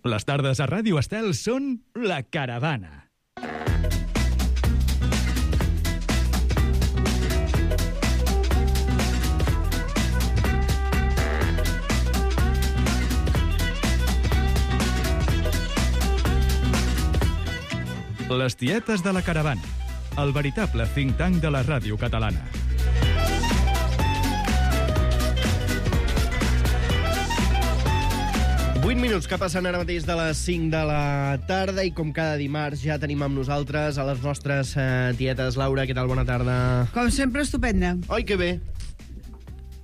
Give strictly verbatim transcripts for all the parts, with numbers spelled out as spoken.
Les tardes a Ràdio Estel són La Caravana. Les tietes de la Caravana, el veritable think tank de la ràdio catalana. vuit minuts que passen ara mateix de les cinc de la tarda i com cada dimarts ja tenim amb nosaltres a les nostres eh, tietes. Laura, què tal? Bona tarda. Com sempre, estupenda. Oi, que bé.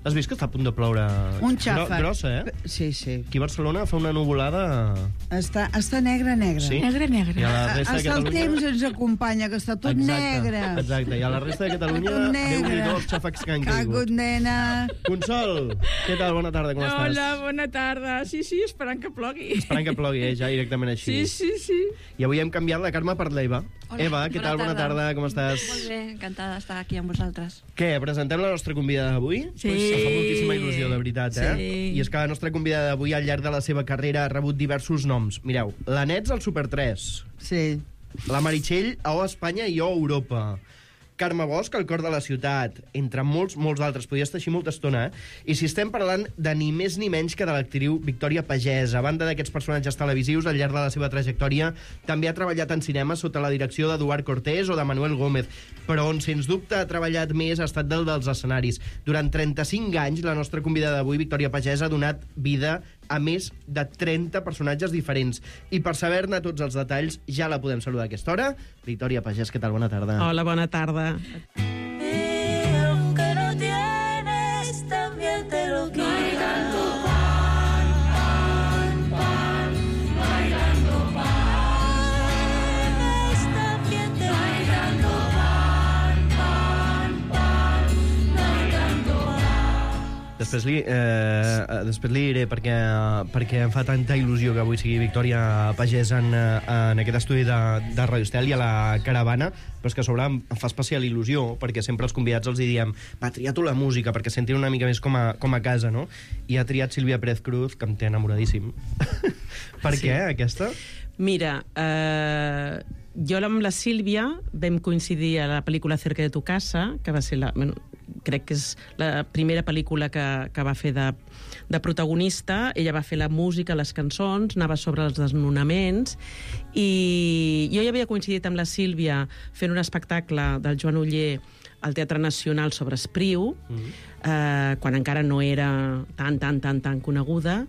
Has vist que està a punt de ploure? Un xàfec. Gro grossa, eh? Sí, sí. Aquí a Barcelona fa una nuvolada... Està, està negre, negre. Sí? Negre, negre. I a la resta de Hasta el Catalunya... temps ens acompanya, que està tot exacte, negre. Exacte, i a la resta de Catalunya... Tot negre. Déu-n'hi-do els xàfecs que han Cagut, caigut. nena. Consol, què tal? Bona tarda, com estàs? Hola, bona tarda. Sí, sí, esperant que plogui. Esperant que plogui, eh? Ja directament així. Sí, sí, sí. I avui hem canviat la Carme per l'Eva. Hola, Eva, què bona tal? Bona tarda. tarda, com estàs? Molt bé, encantada d'estar aquí amb vosaltres. Què, presentem la nostra convidada d'avui? Sí. Pues em fa moltíssima il·lusió, de veritat, eh? Sí. I és que la nostra convidada d'avui, al llarg de la seva carrera, ha rebut diversos noms. Mireu, la Nets al Super tres, Sí. la Meritxell a O Espanya i O Europa, Carme Bosch al Cor de la Ciutat, entre molts, molts d'altres. Podria estar així molta estona, eh? I si estem parlant de ni més ni menys que de l'actriu Victòria Pagès. A banda d'aquests personatges televisius, al llarg de la seva trajectòria, també ha treballat en cinema sota la direcció d'Eduard Cortés o de Manuel Gómez, però on, sens dubte, ha treballat més ha estat del dels escenaris. Durant trenta-cinc anys, la nostra convidada d'avui, Victòria Pagès, ha donat vida a més de trenta personatges diferents. I per saber-ne tots els detalls, ja la podem saludar a aquesta hora. Victòria Pagès, què tal? Bona tarda. Hola, bona tarda. Y aunque no tienes, también te lo quiero. Bailando pan, pan, pan, bailando pan. También te bailando pan, pan, pan, bailando pan. Després li, eh, després li diré perquè, perquè em fa tanta il·lusió que avui sigui Victòria Pagès en, en aquest estudi de, de Radio Estel i a la Caravana, però és que a sobre em fa especial il·lusió perquè sempre els convidats els hi diem va, tria tu la música perquè sentin una mica més com a, com a casa, no? I ha triat Sílvia Pérez Cruz, que em té enamoradíssim. Per Sí. què, aquesta? Mira, eh, jo amb la Sílvia vam coincidir a la pel·lícula Cerca de tu casa, que va ser la... Bueno, crec que és la primera pel·lícula que, que va fer de, de protagonista. Ella va fer la música, les cançons, anava sobre els desnonaments, i jo ja havia coincidit amb la Sílvia fent un espectacle del Joan Oller al Teatre Nacional sobre Espriu, mm-hmm. eh, quan encara no era tan, tan, tan, tan coneguda,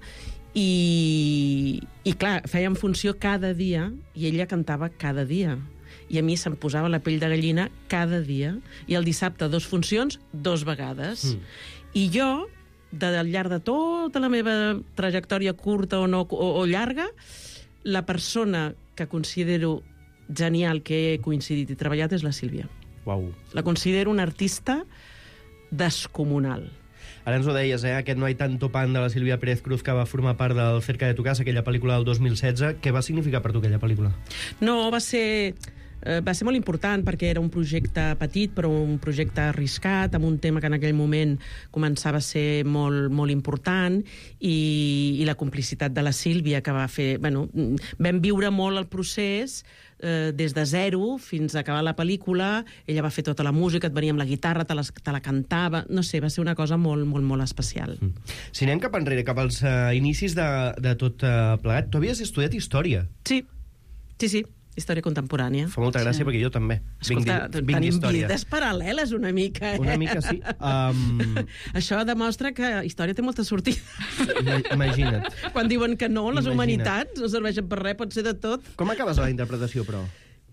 i, i clar, fèiem funció cada dia, i ella cantava cada dia. I a mi se'm posava la pell de gallina cada dia, i el dissabte dos funcions, dos vegades. Mm. I jo, de, al llarg de tota la meva trajectòria curta o, no, o, o llarga, la persona que considero genial que he coincidit i treballat és la Sílvia. Uau. La considero una artista descomunal. Ara ens ho deies, eh? Aquest No hay tanto pan de la Sílvia Pérez Cruz, que va formar part del Cerca de tu casa, aquella pel·lícula del dos mil setze. Què va significar per tu aquella pel·lícula? No, va ser... Eh, va ser molt important perquè era un projecte petit però un projecte arriscat amb un tema que en aquell moment començava a ser molt, molt important, i, i la complicitat de la Sílvia que va fer... Bueno, vam viure molt el procés eh, des de zero fins a acabar la pel·lícula. Ella va fer tota la música, et venia amb la guitarra, te la, te la cantava, no sé, va ser una cosa molt, molt, molt especial. Mm. Si anem cap enrere, cap als uh, inicis de, de tot uh, plegat, tu havies estudiat història. Sí, sí, sí. Història contemporània. Fa molta gràcia, sí. Perquè jo també. Escolta, vinc, vinc tenim d'història. vides paral·leles una mica, eh? Una mica, sí. Um... Això demostra que història té molta sortida. Imagina't. Quan diuen que no, les Imagina't. humanitats no serveixen per res, pot ser de tot. Com acabes la interpretació, però?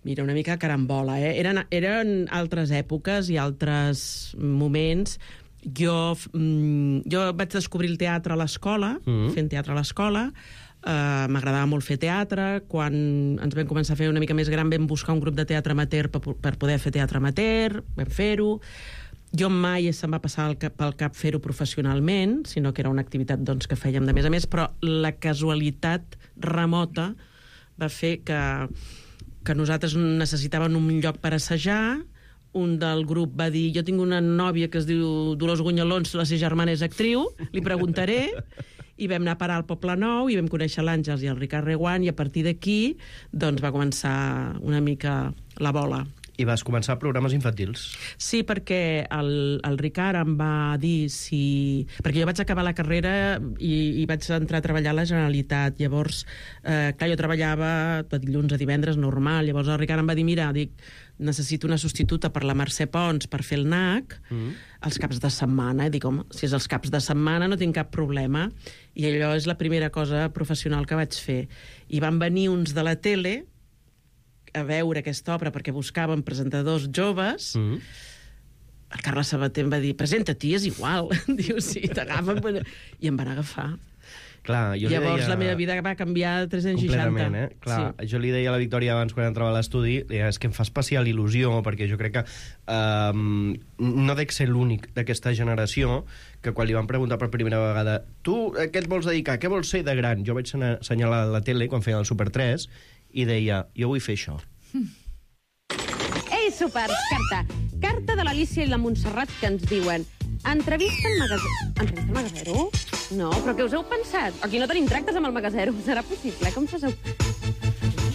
Mira, una mica carambola, eh? Eren, eren altres èpoques i altres moments. Jo, mm, jo vaig descobrir el teatre a l'escola, mm-hmm. fent teatre a l'escola. Uh, m'agradava molt fer teatre. Quan ens vam començar a fer una mica més gran vam buscar un grup de teatre amateur per, per poder fer teatre amateur, vam fer-ho. Jo mai se'm va passar pel cap, pel cap fer-ho professionalment, sinó que era una activitat doncs, que fèiem de més a més, però la casualitat remota va fer que, que nosaltres necessitàvem un lloc per assajar. Un del grup va dir, jo tinc una nòvia que es diu Dolors Gunyalons, la seva germana és actriu, li preguntaré. i vam anar a parar al Poble Nou i vam conèixer l'Àngels i el Ricard Reguant, i a partir d'aquí doncs, va començar una mica la bola. I vas començar programes infantils. Sí, perquè el, el Ricard em va dir si... Perquè jo vaig acabar la carrera i, i vaig entrar a treballar a la Generalitat. Llavors, eh, clar, jo treballava de dilluns a divendres normal. Llavors el Ricard em va dir, mira, dic, necessito una substituta per la Mercè Pons per fer el N A C mm. els caps de setmana. I dic, home, si és els caps de setmana no tinc cap problema. I allò és la primera cosa professional que vaig fer. I van venir uns de la tele a veure aquesta obra perquè buscaven presentadors joves. Mm. El Carles Sabater em va dir, presenta-t'hi, és igual. Diu, sí, t'agafen. I em van agafar. Clar, jo Llavors li deia... la meva vida va canviar a tres-cents seixanta. Completament, eh? Clar, sí. Jo li deia a la Victòria abans quan entrava a l'estudi, és que em fa especial il·lusió, perquè jo crec que um, no dec ser l'únic d'aquesta generació que quan li van preguntar per primera vegada tu, a què et vols dedicar? Què vols ser de gran? Jo vaig assenyalar a la tele quan feia el Super tres i deia, jo vull fer això. Ei, supers, carta. Carta de l'Alicia i la Montserrat que ens diuen entrevista al Magasero. Entrevista al Magasero? No, però què us heu pensat? Aquí no tenim tractes amb el Magasero. Serà possible? Com s'heu...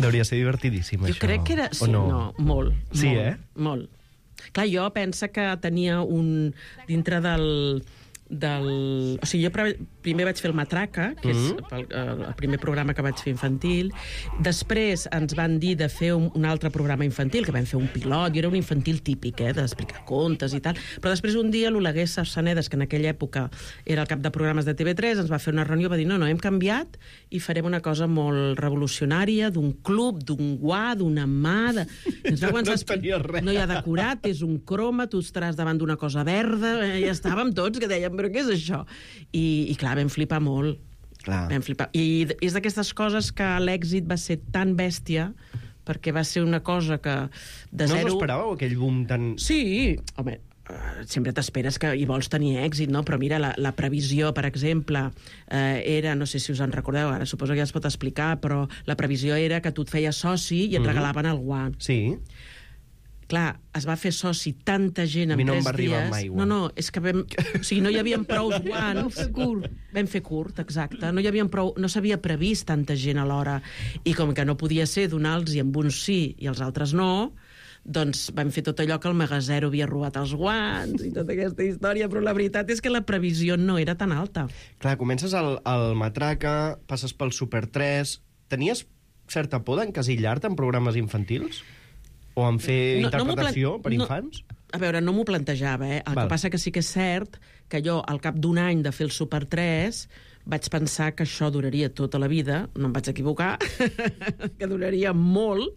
Deuria ser divertidíssim, jo això. Jo crec que era... Sí, no? no, molt. Sí, molt, eh? Molt. Clar, jo penso que tenia un... Dintre del... del... O sigui, jo primer vaig fer el Matraca, que mm-hmm. és el, el primer programa que vaig fer infantil. Després ens van dir de fer un, un altre programa infantil, que vam fer un pilot, i era un infantil típic, eh, d'explicar contes i tal. Però després un dia l'Oleguer Sarsanedes, que en aquella època era el cap de programes de T V tres, ens va fer una reunió i va dir, no, no, hem canviat i farem una cosa molt revolucionària, d'un club, d'un guà, d'una mà... De... Ens va no tenia res. No hi ha decorat, és un croma, tu estaràs davant d'una cosa verda, eh, ja estàvem tots que dèiem, però què és això? I, i clar, vam flipar molt. Clar. Vam flipar. I és d'aquestes coses que l'èxit va ser tan bèstia perquè va ser una cosa que de no zero... us esperàveu aquell boom tan... Sí, home, uh, sempre t'esperes que hi vols tenir èxit, no? Però mira, la, la previsió, per exemple, eh, era, no sé si us en recordeu, ara suposo que ja es pot explicar, però la previsió era que tu et feies soci i et mm-hmm. regalaven el guant. Sí. Clar, es va fer soci tanta gent en mi no tres em va arribar dies... mai, no, no, és que vam... O sigui, no hi havia prou guants. Vam fer curt. Vam fer curt, exacte. No hi havia prou... No s'havia previst tanta gent alhora. I com que no podia ser donar-los i amb uns sí i els altres no, doncs vam fer tot allò que el Magasero havia robat els guants i tota aquesta història, però la veritat és que la previsió no era tan alta. Clar, comences al, al Matraca, passes pel Super tres... Tenies certa por d'encasillar-te en programes infantils? O en fer no, interpretació no per no, infants? A veure, no m'ho plantejava, eh? El Val. que passa que sí que és cert que jo, al cap d'un any de fer el Super tres, vaig pensar que això duraria tota la vida, no em vaig equivocar, que duraria molt,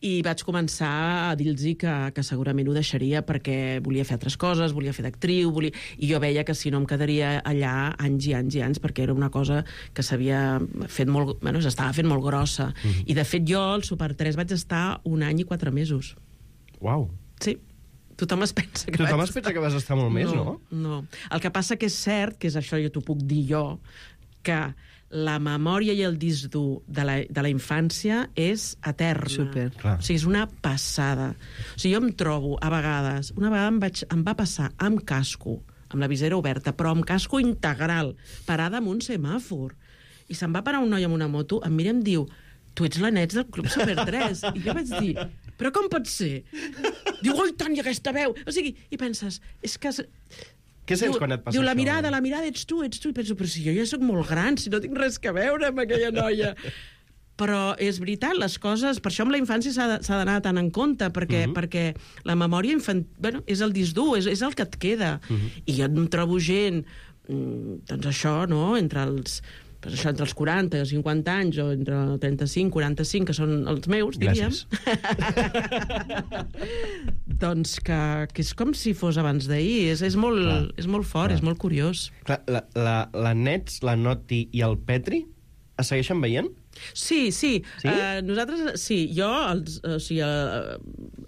i vaig començar a dir-los que, que segurament ho deixaria perquè volia fer altres coses, volia fer d'actriu, volia... i jo veia que si no em quedaria allà anys i anys i anys, perquè era una cosa que s'havia fet molt... Bueno, s'estava fent molt grossa. Mm-hmm. I, de fet, jo al Super tres vaig estar un any i quatre mesos. Uau. Sí. Tothom es pensa que Tothom vaig es pensa que vas estar molt més, no? No, no. El que passa que és cert, que és això, jo t'ho puc dir jo, que la memòria i el disc dur de la, de la infància és eterna. Super. Clar. O sigui, és una passada. O sigui, jo em trobo, a vegades, una vegada em, vaig, em va passar amb casco, amb la visera oberta, però amb casco integral, parada en un semàfor. I se'n va parar un noi amb una moto, em mira i em diu, tu ets la Nets del Club Super tres. I jo vaig dir, però com pot ser? Diu, oi tant, i aquesta veu! O sigui, i penses, és que... Què sents diu, quan et passa diu, això? la mirada, la mirada, ets tu, ets tu. I penso, però si jo ja sóc molt gran, si no tinc res que veure amb aquella noia. Però és veritat, les coses... Per això amb la infància s'ha d'anar tant en compte, perquè, uh-huh. perquè la memòria infantil... Bueno, és el disc dur, és, és el que et queda. Uh-huh. I jo em trobo gent, doncs això, no?, entre els... Pues això, entre els quaranta i els cinquanta anys, o entre trenta-cinc, quaranta-cinc, que són els meus, diríem. Doncs que, que és com si fos abans d'ahir. És, és, molt, és molt fort, clar. És molt curiós. Clar, la, la, la Nets, la Noti i el Petri es segueixen veient? Sí, sí. Sí? Uh, nosaltres, sí, jo els, o sigui, uh,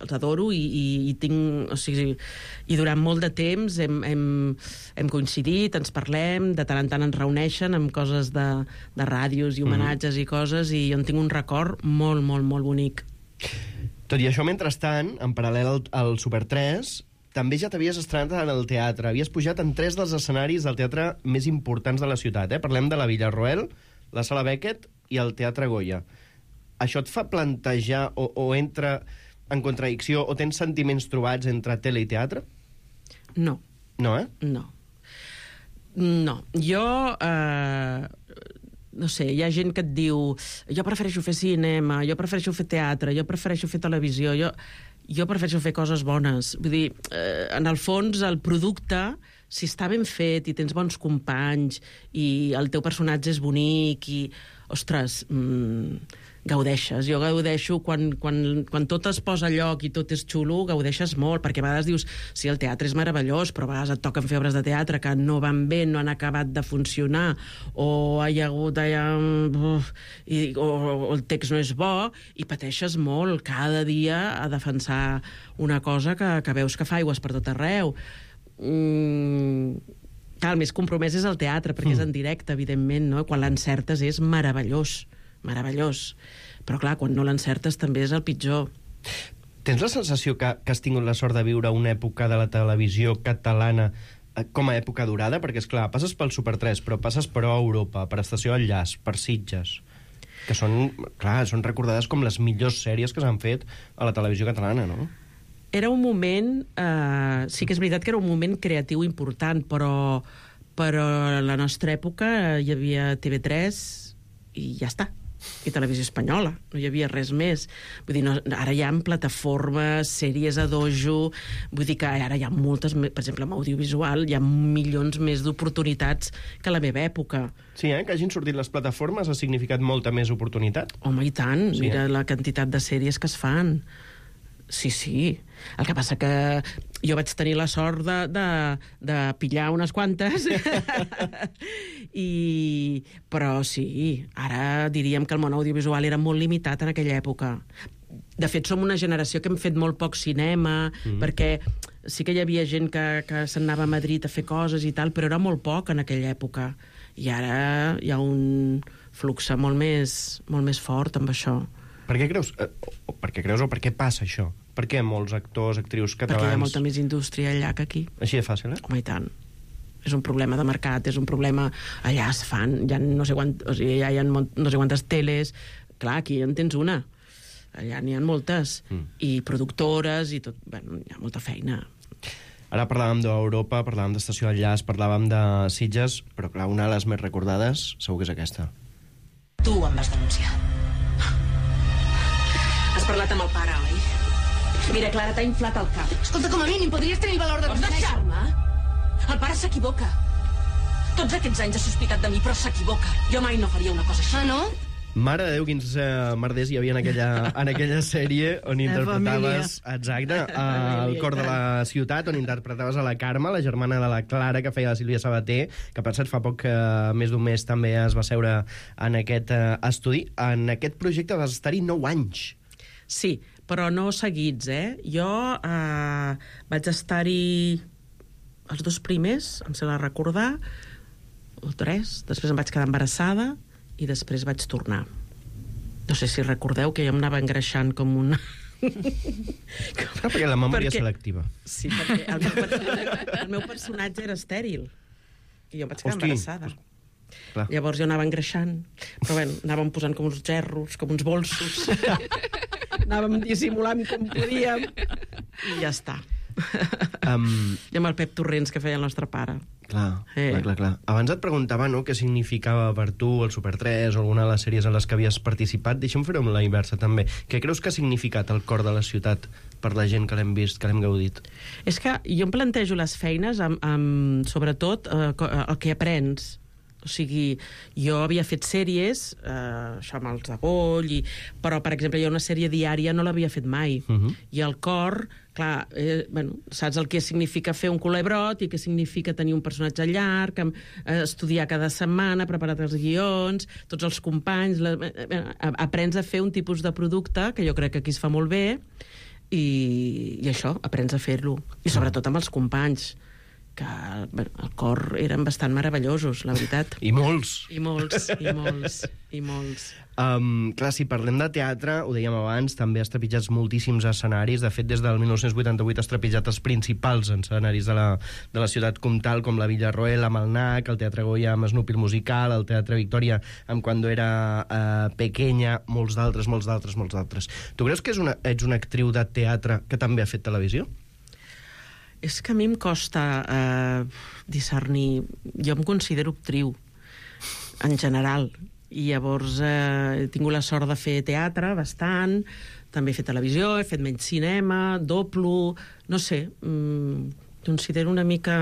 els adoro i, i, i tinc... O sigui, i durant molt de temps hem, hem, hem coincidit, ens parlem, de tant en tant ens reuneixen amb coses de, de ràdios i homenatges mm. i coses, i jo en tinc un record molt, molt, molt bonic. Tot i això, mentrestant, en paral·lel al, al Super tres, també ja t'havies estrenat en el teatre. Havies pujat en tres dels escenaris del teatre més importants de la ciutat. Eh? Parlem de la Villarroel, la Sala Beckett i el Teatre Goya. Això et fa plantejar o, o entra en contradicció o tens sentiments trobats entre tele i teatre? No. No, eh? No. No. Jo... Eh, no sé, hi ha gent que et diu jo prefereixo fer cinema, jo prefereixo fer teatre, jo prefereixo fer televisió, jo, jo prefereixo fer coses bones. Vull dir, eh, en el fons, el producte, si està ben fet i tens bons companys i el teu personatge és bonic i, ostres, mmm, gaudeixes. Jo gaudeixo quan, quan, quan tot es posa a lloc i tot és xulo, gaudeixes molt, perquè a vegades dius, sí, el teatre és meravellós, però a vegades et toquen fer obres de teatre que no van bé, no han acabat de funcionar, o hi ha hagut allà... Uf, i, o, o el text no és bo, i pateixes molt cada dia a defensar una cosa que, que veus que fa aigües per tot arreu. Mm, clar, el més compromès és el teatre, perquè mm. és en directe, evidentment, no? Quan l'encertes és meravellós, meravellós. Però, clar, quan no l'encertes també és el pitjor. Tens la sensació que, que has tingut la sort de viure una època de la televisió catalana eh, com a època durada? Perquè, és clar, passes pel Super tres, però passes per Europa, per Estació Enllaç, per Sitges, que són, clar, són recordades com les millors sèries que s'han fet a la televisió catalana, no? Era un moment... Eh, sí que és veritat que era un moment creatiu important, però, però a la nostra època hi havia T V tres i ja està. I Televisió Espanyola, no hi havia res més. Vull dir, no, ara hi ha plataformes, sèries a dojo, vull dir que ara hi ha moltes, per exemple, en audiovisual, hi ha milions més d'oportunitats que a la meva època. Sí, eh? Que hagin sortit les plataformes ha significat molta més oportunitat? Home, i tant, sí, mira eh? la quantitat de sèries que es fan. Sí, sí. El que passa que jo vaig tenir la sort de, de, de pillar unes quantes. I... Però sí, ara diríem que el món audiovisual era molt limitat en aquella època. De fet, som una generació que hem fet molt poc cinema, mm. perquè sí que hi havia gent que, que se'n anava a Madrid a fer coses i tal, però era molt poc en aquella època. I ara hi ha un flux molt més, molt més fort amb això. Per què creus, eh, o per què creus o per què passa això? Per què molts actors, actrius catalans... Perquè hi ha molta més indústria allà que aquí. Així de fàcil, eh? Home, i tant. És un problema de mercat, és un problema... Allà es fan, hi ha no sé, quant, o sigui, allà hi ha no sé quantes teles... Clar, aquí en tens una. Allà n'hi ha moltes. Mm. I productores i tot... Bueno, hi ha molta feina. Ara parlàvem d'Europa, parlàvem d'Estació Enllaç, parlàvem de Sitges, però clar, una de les més recordades segur que és aquesta. Tu em vas denunciar. Has parlat amb el pare, oi? Mira, Clara, t'ha inflat el cap. Escolta, com a mínim, podries tenir el valor de... Vols deixar-me? El pare s'equivoca. Tots aquests anys ha sospitat de mi, però s'equivoca. Jo mai no faria una cosa així. Ah, no? Mare de Déu, quins eh, merders hi havia en aquella, en aquella sèrie on interpretaves... Exacte, el cor de la ciutat, on interpretaves a la Carme, la germana de la Clara, que feia la Sílvia Sabater, que per cert fa poc, eh, més d'un mes, també es va seure en aquest eh, estudi. En aquest projecte vas estar-hi nou anys. Sí, però no seguits, eh? Jo eh, vaig estar-hi els dos primers, em sembla recordar, o tres, després em vaig quedar embarassada i després vaig tornar. No sé si recordeu que jo em anava engreixant com una... No, perquè la memòria perquè... selectiva. Sí, perquè el meu, personatge, el meu personatge era estèril i jo em vaig quedar Hosti. embarassada. Clar. Llavors jo anava engreixant, però bueno, anàvem posant com uns gerros, com uns bolsos, anàvem dissimulant com podíem i ja està. Um... I amb el Pep Torrents que feia el nostre pare. Clar, eh. clar, clar, clar. Abans et preguntava, no?, què significava per tu el Super tres o alguna de les sèries en les que havies participat. Deixa'm fer-ho amb la inversa, també. Què creus que ha significat el cor de la ciutat per la gent que l'hem vist, que l'hem gaudit? És que jo em plantejo les feines amb, amb sobretot, eh, el que aprens. O sigui, jo havia fet sèries, eh, això amb els de Goll, i... però, per exemple, jo una sèrie diària no l'havia fet mai. Uh -huh. I el cor, clar, eh, bueno, saps el que significa fer un culebrot i què significa tenir un personatge llarg, eh, estudiar cada setmana, preparar els guions, tots els companys... La, eh, aprens a fer un tipus de producte que jo crec que aquí es fa molt bé i, i això, aprens a fer-lo. I sobretot amb els companys. que bueno, el cor eren bastant meravellosos, la veritat. I molts. I molts, i molts, i molts. Um, clar, si parlem de teatre, ho dèiem abans, també has trepitjat moltíssims escenaris. De fet, des del dinou vuitanta-vuit has trepitjat els principals escenaris de la, de la ciutat comtal, com la Villarroel, amb el N A C, el Teatre Goya amb Snoopy el musical, el Teatre Victòria amb Cuando era uh, pequeña, molts d'altres, molts d'altres, molts d'altres. Tu creus que és una, ets una actriu de teatre que també ha fet televisió? És que a mi em costa eh, discernir... Jo em considero actriu, en general, i llavors eh, he tingut la sort de fer teatre bastant, també he fet televisió, he fet menys cinema, doblo, no sé, mm, considero una mica...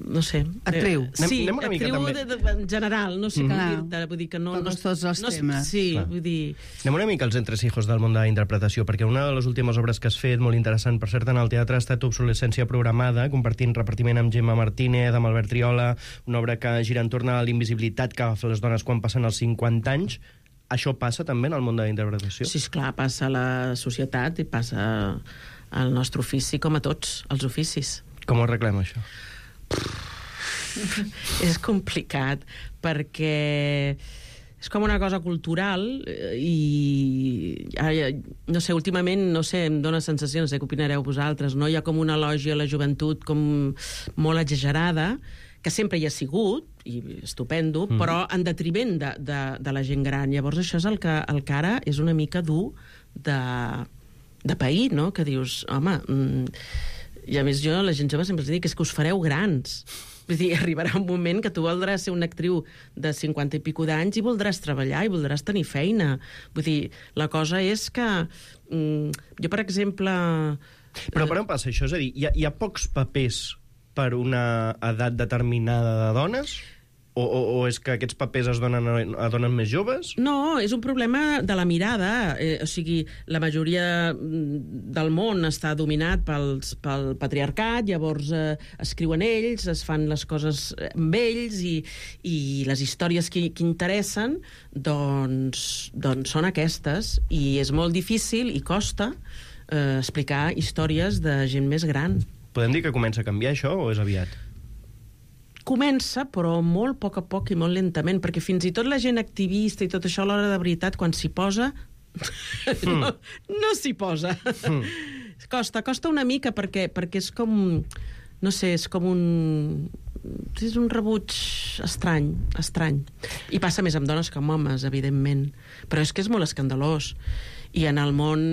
no sé... Actriu. Eh, sí, anem, anem una mica, actriu també. de, de, en general, no sé Mm. com Clar. dir-te, vull dir que no... Toques no, tots els no, temes. Sí, Clar. vull dir... Anem una mica als entresijos del món de la interpretació, perquè una de les últimes obres que has fet, molt interessant, per cert, en el teatre, ha estat Obsolescència programada, compartint repartiment amb Gemma Martínez, amb Albert Triola, una obra que gira entorn a l'invisibilitat que agafa les dones quan passen els cinquanta anys. Això passa també en el món de la interpretació? Sí, esclar, passa a la societat i passa al nostre ofici, com a tots els oficis. Com ho arreglem, això? És complicat, perquè és com una cosa cultural i, no sé, últimament, no sé, em dóna sensació, no sé què opinareu vosaltres, no? Hi ha com una elogi a la joventut com molt exagerada, que sempre hi ha sigut, i estupendo, mm. però en detriment de, de, de la gent gran. Llavors això és el que, el que ara és una mica dur de, de pair, no? Que dius, home... Mm, i a més jo, la gent jove sempre els dic, és que us fareu grans. Vull dir, arribarà un moment que tu voldràs ser una actriu de cinquanta i pico d'anys i voldràs treballar i voldràs tenir feina. Vull dir, la cosa és que... Mm, jo, per exemple... Però per on passa això? És a dir, hi ha, hi ha pocs papers per una edat determinada de dones? O, o, o és que aquests papers es donen a, a dones més joves? No, és un problema de la mirada. Eh, o sigui, la majoria del món està dominat pels, pel patriarcat, llavors eh, escriuen ells, es fan les coses amb ells i, i les històries que, que interessen doncs, doncs són aquestes. I és molt difícil i costa eh, explicar històries de gent més gran. Podem dir que comença a canviar això o és aviat? Comença, però molt a poc a poc i molt lentament, perquè fins i tot la gent activista i tot això, a l'hora de veritat, quan s'hi posa, mm. no, no s'hi posa. Mm. Costa, costa una mica, perquè, perquè és com... No sé, és com un... És un rebuig estrany, estrany. I passa més amb dones que amb homes, evidentment. Però és que és molt escandalós. I en el món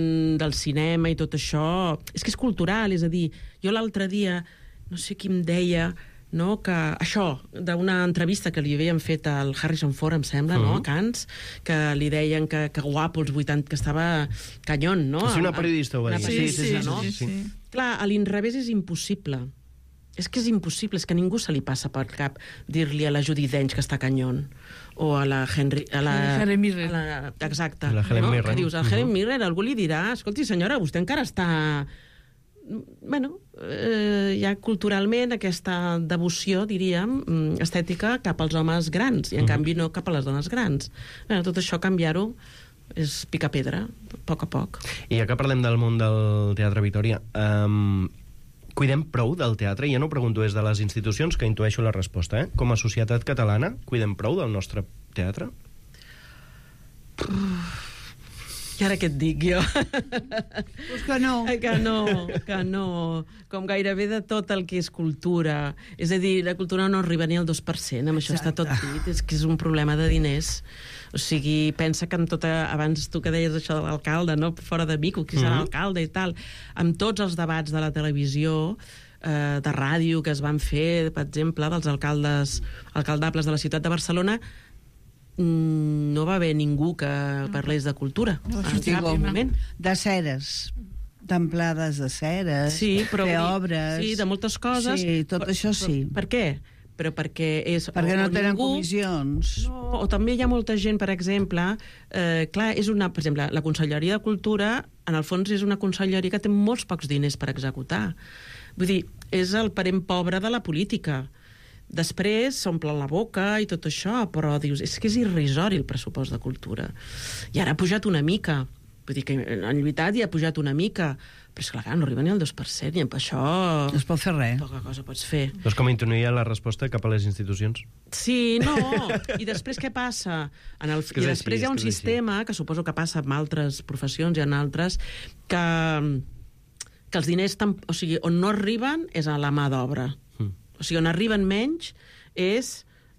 del cinema i tot això... És que és cultural, és a dir, jo l'altre dia, no sé qui em deia... No, que això, d'una entrevista que li havien fet al Harrison Ford, em sembla, uh-huh. no, a Cannes, que li deien que, que guapo, els vuitanta, que estava canyón, no? Sí, una periodista ho va dir. Sí, sí, sí, no? sí, sí. Clar, a l'inrevés és impossible. És que és impossible, és que a ningú se li passa per cap dir-li a la Judi Dench que està canyón, o a la Henry... A la, Helen Mirren. A la, exacte. La Helen no? Mirren. Que dius, a Uh-huh. Helen Mirren algú li dirà, escolti, senyora, vostè encara està... Bueno, eh, hi ha culturalment aquesta devoció, diríem, estètica cap als homes grans, i en uh-huh. canvi no cap a les dones grans. Bueno, tot això canviar-ho és picar pedra, a poc a poc. I ja que parlem del món del Teatre Victòria, um, cuidem prou del teatre? I ja no pregunto des de les institucions, que intueixo la resposta, eh? Com a societat catalana, cuidem prou del nostre teatre? I ara què et dic jo? Pues que no. Que no, que no. Com gairebé de tot el que és cultura. És a dir, la cultura no arriba ni al dos per cent, amb això Exacte. Està tot dit. És que és un problema de diners. O sigui, pensa que amb tota... Abans tu que deies això de l'alcalde, no? Fora de Vic, qui serà mm-hmm. l'alcalde i tal. Amb tots els debats de la televisió, eh, de ràdio que es van fer, per exemple, dels alcaldes alcaldables de la ciutat de Barcelona, no va haver ningú que parlés de cultura en cap moment. De ceres, templades de ceres, sí, però de obres... Sí, de moltes coses. Sí, tot però, això sí. Per, per què? Però perquè és... Perquè o, no o tenen ningú, comissions. No, o també hi ha molta gent, per exemple... Eh, clar, és una... Per exemple, la Conselleria de Cultura, en el fons, és una conselleria que té molts pocs diners per executar. Vull dir, és el parent pobre de la política. Després s'omplen la boca i tot això, però dius, és que és irrisori el pressupost de cultura. I ara ha pujat una mica, Vull dir que han lluitat i ha pujat una mica, però és clar, no arriba ni al dos per cent, i amb això... No es pot fer res. Poca cosa pots fer. No és com intuïa la resposta cap a les institucions? Sí, no. I després què passa? En el... I després hi ha un sistema, que suposo que passa amb altres professions i en altres, que, que els diners, tam... o sigui, on no arriben és a la mà d'obra. Mm. O sigui, on arriben menys és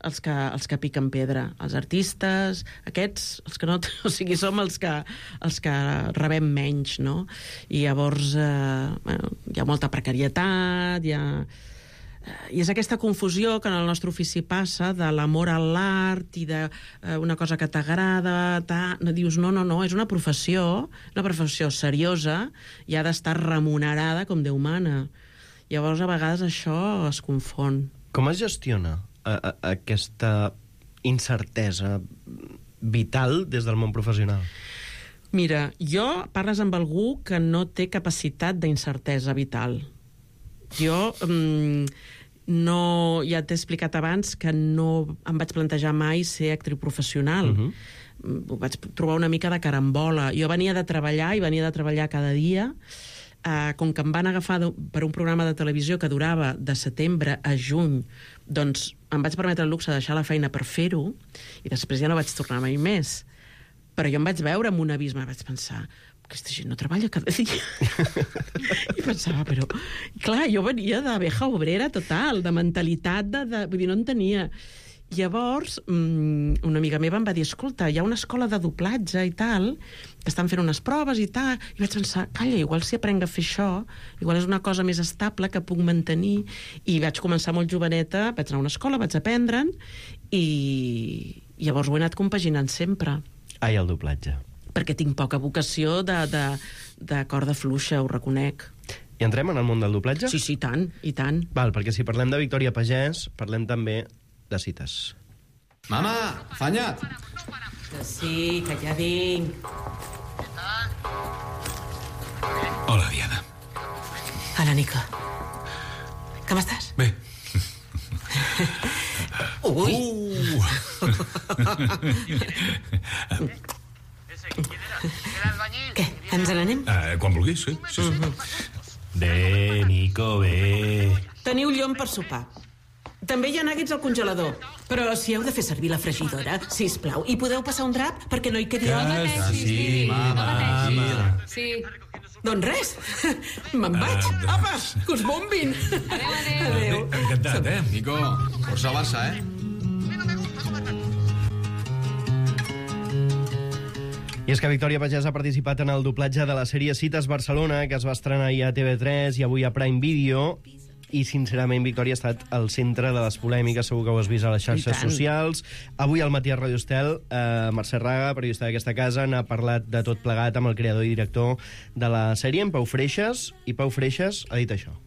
els que, els que piquen pedra. Els artistes, aquests, els que no... O sigui, som els que, els que rebem menys, no? I llavors eh, bueno, hi ha molta precarietat, hi ha... I és aquesta confusió que en el nostre ofici passa de l'amor a l'art i d'una cosa que t'agrada, no dius, no, no, no, és una professió, una professió seriosa i ha d'estar remunerada com Déu mana. Llavors, a vegades, això es confon. Com es gestiona a, a, aquesta incertesa vital des del món professional? Mira, jo parles amb algú que no té capacitat d'incertesa vital. Jo mm, no, ja t'he explicat abans que no em vaig plantejar mai ser actriu professional. Uh-huh. Ho vaig trobar una mica de carambola. Jo venia de treballar i venia de treballar cada dia. Uh, com que em van agafar de, per un programa de televisió que durava de setembre a juny, doncs em vaig permetre el luxe de deixar la feina per fer-ho i després ja no vaig tornar mai més. Però jo em vaig veure en un abisme, vaig pensar, aquesta gent no treballa cada dia. I pensava, però... Clar, jo venia d'abeja obrera total, de mentalitat, de, de... vull dir, no en tenia. Llavors, una amiga meva em va dir, escolta, hi ha una escola de doblatge i tal, que estan fent unes proves i tal, i vaig pensar, calla, igual si aprenc a fer això, igual és una cosa més estable que puc mantenir, i vaig començar molt joveneta, vaig anar a una escola, vaig aprendre'n, i llavors ho he anat compaginant sempre. Ai, el doblatge. Perquè tinc poca vocació de, de, de corda fluixa, ho reconec. I entrem en el món del doblatge? Sí, sí, tant, i tant. Val, perquè si parlem de Victòria Pagès, parlem també de cites. Mama, afanyat! Que sí, que ja vinc. Hola, Diana. Hola, Nico. Com estàs? Bé. Ui! Uh. Què, ens n'anem? Uh, quan vulguis, sí. sí, sí. Bé, Nico, bé. Teniu llom per sopar. També hi ha nuggets al congelador. Però si heu de fer servir la fregidora, sisplau, i podeu passar un drap perquè no hi quedi home? Sí, sí, mama, mama. Sí. Doncs res, me'n vaig. Uh, Apa, que us bombin. Adéu, adéu. Adéu. Encantat, eh? Nico, força al Barça, eh? I és que Victòria Pagès ha participat en el doblatge de la sèrie Cites Barcelona, que es va estrenar ahir a T V tres i avui a Prime Video. I, sincerament, Victòria ha estat al centre de les polèmiques, segur que ho has vist a les xarxes socials. Avui al matí a Radio Estel, eh, Mercè Raga, periodista d'aquesta casa, n'ha parlat de tot plegat amb el creador i director de la sèrie, en Pau Freixas, i Pau Freixas ha dit això.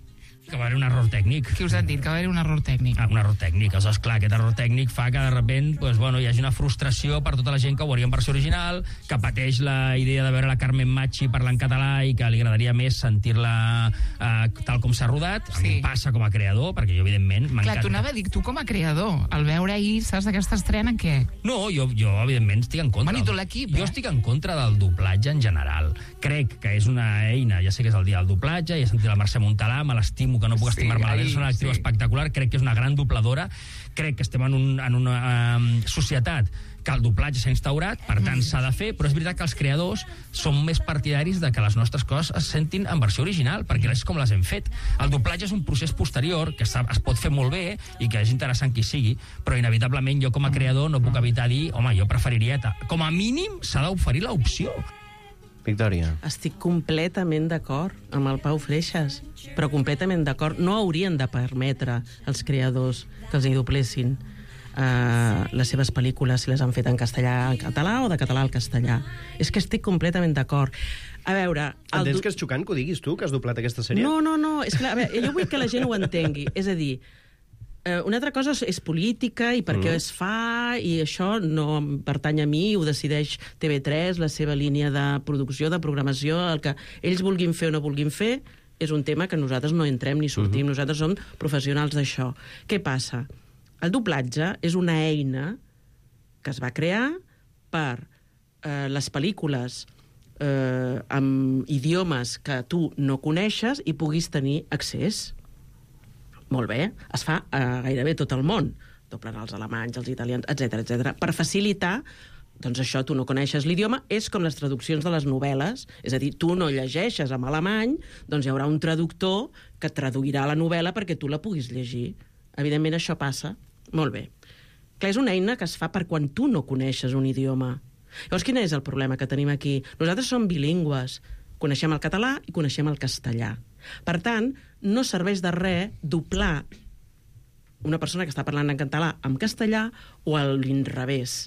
Que va haver un error tècnic. Qui us han dit que va haver un error tècnic? Ah, un error tècnic. Aleshores, clar, aquest error tècnic fa que de repent pues, bueno, hi hagi una frustració per tota la gent que ho veuria en versió original, que pateix la idea de veure la Carmen Machi parlar en català i que li agradaria més sentir-la eh, tal com s'ha rodat. Sí. A mi em passa com a creador, perquè jo, evidentment, m'encanta. Clar, tu anava a dir, tu com a creador, al veure ahir, saps d'aquesta estrena, què? No, jo, jo evidentment, estic en contra. Bueno, i tu l'equip, eh? Jo estic en contra del doblatge en general. Crec que és una eina, ja sé que és el dia del doblatge, ja he sentit la Mercè Montalà, me l'estimo, que no puc estimar-me la és una actriu sí. espectacular, crec que és una gran dobladora, crec que estem en, un, en una um, societat que el doblatge s'ha instaurat, per tant s'ha de fer, però és veritat que els creadors són més partidaris de que les nostres coses es sentin en versió original, perquè és com les hem fet. El doblatge és un procés posterior que es pot fer molt bé i que és interessant qui sigui, però inevitablement jo com a creador no puc evitar dir, home, jo preferiria... Com a mínim s'ha d'oferir l'opció. Victòria. Estic completament d'acord amb el Pau Freixas, però completament d'acord. No haurien de permetre als creadors que els hi doblessin uh, les seves pel·lícules si les han fet en castellà en català o de català al castellà. És que estic completament d'acord. A veure... Entens que és xocant que ho diguis tu, que has doblat aquesta sèrie? No, no, no. És que, a veure, jo vull que la gent ho entengui. És a dir, una altra cosa és política i per què mm. es fa, i això no pertany a mi, ho decideix T V tres, la seva línia de producció, de programació, el que ells vulguin fer o no vulguin fer, és un tema que nosaltres no entrem ni sortim, mm-hmm. nosaltres som professionals d'això. Què passa? El doblatge és una eina que es va crear per eh, les pel·lícules eh, amb idiomes que tu no coneixes i puguis tenir accés. Molt bé, es fa a gairebé tot el món. Doblen els alemanys, els italians, etcètera, etcètera. Per facilitar, doncs això, tu no coneixes l'idioma, és com les traduccions de les novel·les. És a dir, tu no llegeixes en alemany, doncs hi haurà un traductor que traduirà la novel·la perquè tu la puguis llegir. Evidentment, això passa. Molt bé. Clar, és una eina que es fa per quan tu no coneixes un idioma. Llavors, quin és el problema que tenim aquí? Nosaltres som bilingües. Coneixem el català i coneixem el castellà. Per tant, no serveix de res doblar una persona que està parlant en català en castellà o a l'inrevés.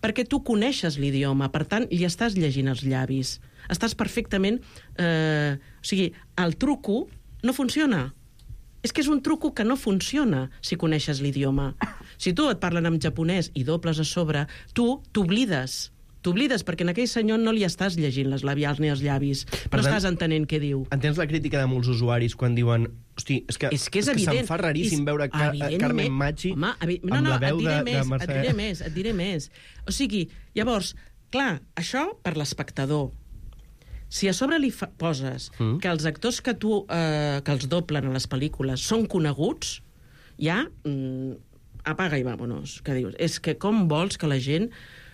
Perquè tu coneixes l'idioma, per tant, li estàs llegint els llavis. Estàs perfectament... Eh, o sigui, el truco no funciona. És que és un truco que no funciona si coneixes l'idioma. Si tu et parlen en japonès i dobles a sobre, tu t'oblides. T'oblides, perquè en aquell senyor no li estàs llegint les labials ni els llavis. Per no tant, estàs entenent què diu. Entens la crítica de molts usuaris quan diuen hosti, és que, és que, és és que se'm evident. fa raríssim és, veure Car Carmen Machi home, no, amb no, la veu de, més, de Mercè. Et diré més, et diré més. O sigui, llavors, clar, això per l'espectador. Si a sobre li fa, poses mm. que els actors que tu eh, que els doblen a les pel·lícules són coneguts, ja mm, apaga i vámonos. Què dius? És que com vols que la gent...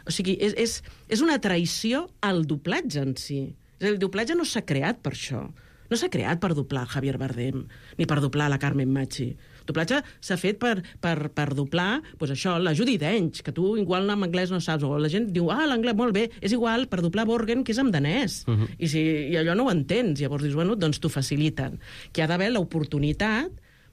O sigui, és, és, és una traïció al doblatge en si. És a dir, el doblatge no s'ha creat per això. No s'ha creat per doblar Javier Bardem, ni per doblar la Carmen Machi. El doblatge s'ha fet per, per, per doblar, doncs això, la Judi Dench, que tu igual en anglès no saps, o la gent diu, ah, l'anglès, molt bé, és igual per doblar Borgen, que és en danès. Uh -huh. I, si, I allò no ho entens. Llavors dius, bueno, doncs t'ho faciliten. Que ha d'haver l'oportunitat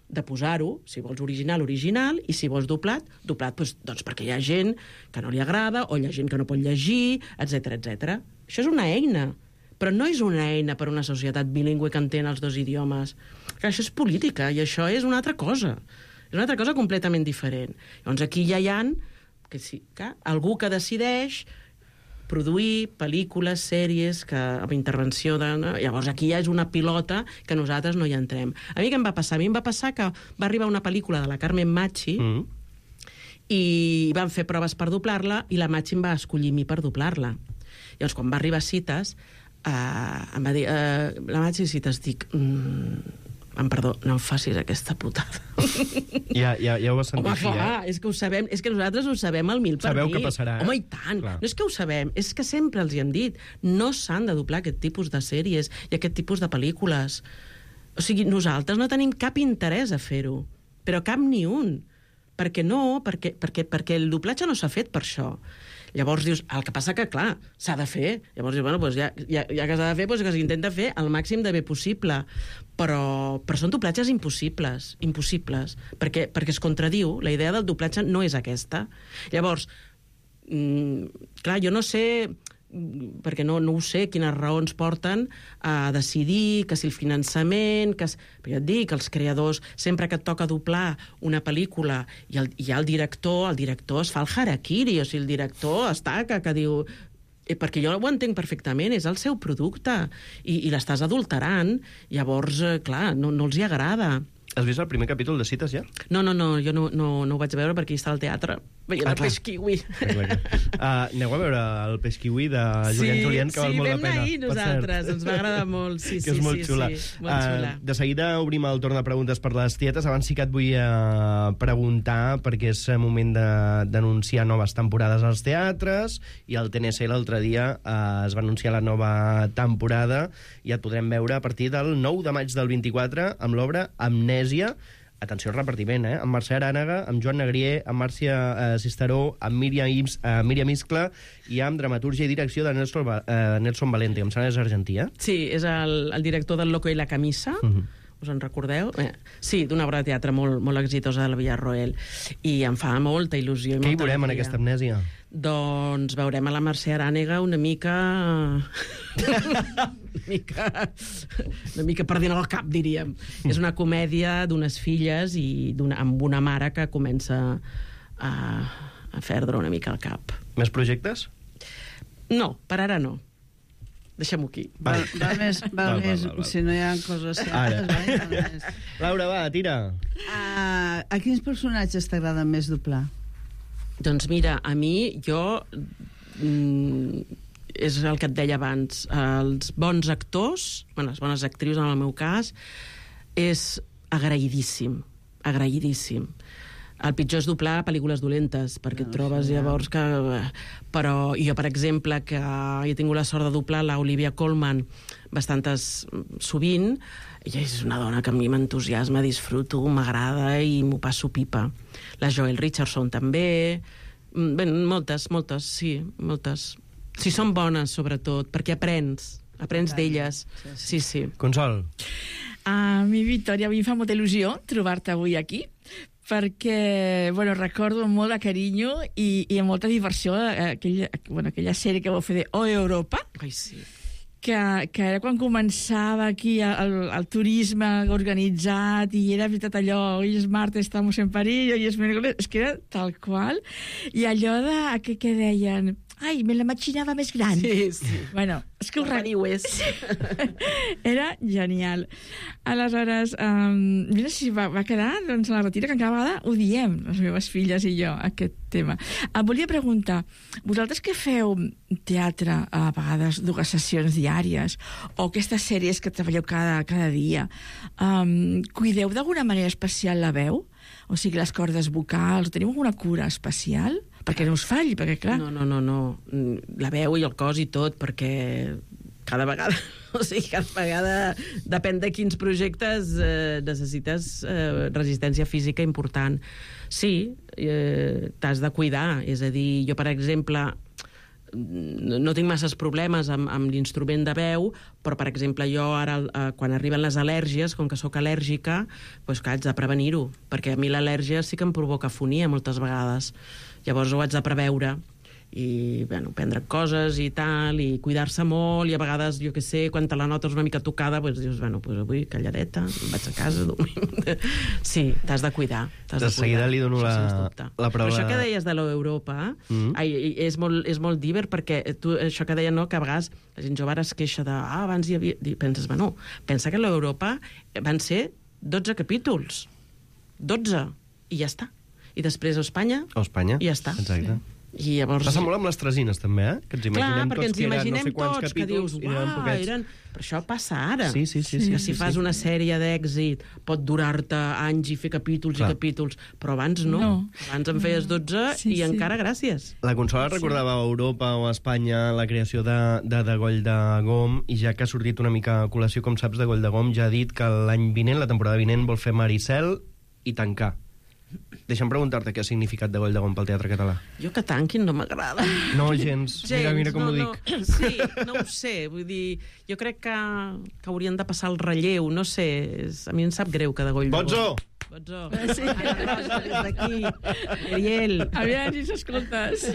de posar-ho, si vols original, original, i si vols doblat, doblat, doncs, doncs perquè hi ha gent que no li agrada, o hi ha gent que no pot llegir, etcètera, etcètera. Això és una eina, però no és una eina per a una societat bilingüe que entén els dos idiomes. Que això és política, i això és una altra cosa. És una altra cosa completament diferent. Llavors aquí ja hi ha que sí, que algú que decideix produir pel·lícules, sèries, que, amb intervenció de... No? Llavors aquí ja és una pilota que nosaltres no hi entrem. A mi què em va passar? A mi em va passar que va arribar una pel·lícula de la Carmen Machi mm. i van fer proves per doblar-la i la Machi em va escollir a mi per doblar-la. Llavors, quan va arribar a Cites, eh, em va dir... Eh, la Machi Cites, dic... Mm, em perdó, no em facis aquesta putada. Ja, ja, ja ho vas sentir. Home, aquí, clar, eh? és que ho sabem, és que nosaltres ho sabem al mil per Sabeu mil. què passarà, eh? Home, i tant. Clar. No és que ho sabem, és que sempre els hi hem dit. No s'han de doblar aquest tipus de sèries i aquest tipus de pel·lícules. O sigui, nosaltres no tenim cap interès a fer-ho, però cap ni un. Perquè no, perquè, perquè, perquè el doblatge no s'ha fet per això. Llavors dius, el que passa que, clar, s'ha de fer. Llavors dius, bueno, doncs ja, ja, ja que s'ha de fer, doncs que s'intenta fer el màxim de bé possible. Però, però són doblatges impossibles, impossibles, perquè, perquè es contradiu. La idea del doblatge no és aquesta. Llavors, mm, clar, jo no sé, perquè no, no ho sé, quines raons porten a decidir que si el finançament... Que, però ja et dic, els creadors, sempre que et toca doblar una pel·lícula i, el, i hi ha el director, el director es fa el harakiri, o sigui, el director està que, que diu... Eh, perquè jo ho entenc perfectament, és el seu producte, i, i l'estàs adulterant, llavors, eh, clar, no, no els hi agrada. Has vist el primer capítol de Cites, ja? No, no, no, jo no, no, no ho vaig veure perquè hi està al teatre, veient ah, el Peix Kiwi. Uh, aneu a veure el Peix Kiwi de Julián sí, Julián, que sí, val molt la pena. Sí, vam anar ahir nosaltres, ens va agradar molt, sí, que sí, és molt sí, xula. sí, molt xula. Uh, de seguida obrim el torn de preguntes per les tietes. Abans sí que et vull uh, preguntar, perquè és moment d'anunciar noves temporades als teatres, i al T N C l'altre dia uh, es va anunciar la nova temporada, i et podrem veure a partir del nou de maig del vint-i-quatre amb l'obra Amnèsia. Atenció al repartiment, eh? Amb Mercè Arànega, amb Joan Negrier, amb Màrcia eh, Cisteró, amb Míriam, Ims, eh, Míriam Iscla i amb dramatúrgia i direcció de Nelson, eh, Nelson Valente, que em sembla que és argentí, eh? Sí, és el, el director del Loco i la camisa, uh -huh. us en recordeu? Eh, sí, d'una obra de teatre molt, molt exitosa de la Villarroel, i em fa molta il·lusió. I Què hi molta veurem en alegria. aquesta Amnèsia? Doncs veurem a la Mercè Arànega una mica... una mica... una mica perdent el cap, diríem. Mm. És una comèdia d'unes filles i una, amb una mare que comença a, a perdre una mica el cap. Més projectes? No, per ara no. Deixem-ho aquí. Va, va més, va Val, més val, val, val. si no hi ha coses certes. Va, va més. Laura, va, tira. Uh, a quins personatges t'agrada més doblar? Doncs mira, a mi, jo... Mm, és el que et deia abans, els bons actors, bueno, les bones actrius en el meu cas, és agraïdíssim, agraïdíssim. El pitjor és doblar pel·lícules dolentes, perquè no, et trobes llavors que... Però jo, per exemple, que he tingut la sort de doblar l'Olivia Colman bastantes sovint, ella és una dona que a mi m'entusiasma, disfruto, m'agrada i m'ho passo pipa. La Joel Richardson també... Bé, moltes, moltes, sí, moltes. Si són bones, sobretot, perquè aprens, aprens d'elles. Sí, sí. Consol. A mi, Victòria, a mi em fa molta il·lusió trobar-te avui aquí, perquè, bueno, recordo amb molt de carinyo i, i amb molta diversió aquella, bueno, aquella sèrie que vau fer de O Europa. Ai, sí. Que, que era quan començava aquí el, el turisme organitzat i era veritat allò, hoy es martes, estamos en París, hoy es miércoles, és que era tal qual. I allò de, que, que deien... Ai, me la machinava més gran. Sí, sí. Bueno, és que ho recordo. Era genial. Aleshores, um, mira si va, va quedar doncs, a la retira, que cada vegada ho diem, les meves filles i jo, aquest tema. Em volia preguntar, vosaltres que feu teatre a vegades dues sessions diàries o aquestes sèries que treballeu cada, cada dia, um, cuideu d'alguna manera especial la veu? O sigui, les cordes vocals, teniu alguna cura especial? Perquè no us falli, perquè clar... No, no, no, no. La veu i el cos i tot, perquè cada vegada, o sigui, cada vegada, depèn de quins projectes, eh, necessites eh, resistència física important. Sí, eh, t'has de cuidar, és a dir, jo, per exemple, no tinc masses problemes amb, amb l'instrument de veu, però, per exemple, jo ara, eh, quan arriben les al·lèrgies, com que sóc al·lèrgica, doncs que haig de prevenir-ho, perquè a mi l'al·lèrgia sí que em provoca afonia moltes vegades. Llavors ho haig de preveure i, bueno, prendre coses i tal, i cuidar-se molt, i a vegades, jo què sé, quan te la notes una mica tocada, doncs dius, bueno, doncs avui calladeta, vaig a casa, dormim. Sí, t'has de cuidar. T'has de, de seguida li dono la, la prova... Però això que deies de l'Europa, mm. ai, és, molt, és molt diver, perquè tu, això que deia, no, que a vegades la gent jove ara es queixa de, ah, abans hi havia... I penses, bueno, pensa que l'Europa van ser dotze capítols. dotze. I ja està. I després a Espanya, a Espanya. I ja està. Exacte. I llavors... Passa molt amb les tresines, també, eh? Que ens imaginem Clar, perquè tots ens que imaginem eren no sé quants tots, que dius, capítols, uau, eren... Però això passa ara. Sí, sí, sí. sí que si sí, fas sí. una sèrie d'èxit pot durar-te anys i fer capítols Clar. i capítols, però abans no. No. Abans en feies dotze Sí, i sí. encara gràcies. La Consola recordava a Europa o a Espanya la creació de, de, de Goll de Gom, i ja que ha sortit una mica a col·lació, com saps, de Goll de Gom, ja ha dit que l'any vinent, la temporada vinent, vol fer Maricel i tancar. Deixa'm preguntar-te què ha significat de Goll de Gom pel teatre català. Jo que tanquin no m'agrada. No, gens. gens. Mira, mira com no, ho dic. No. Sí, no ho sé. Vull dir, jo crec que, que haurien de passar el relleu. No sé, és, a mi em sap greu que de Goll de Gom... Botzo! Botzo! Sí. Des d'aquí. Ariel. Aviam si s'escoltes.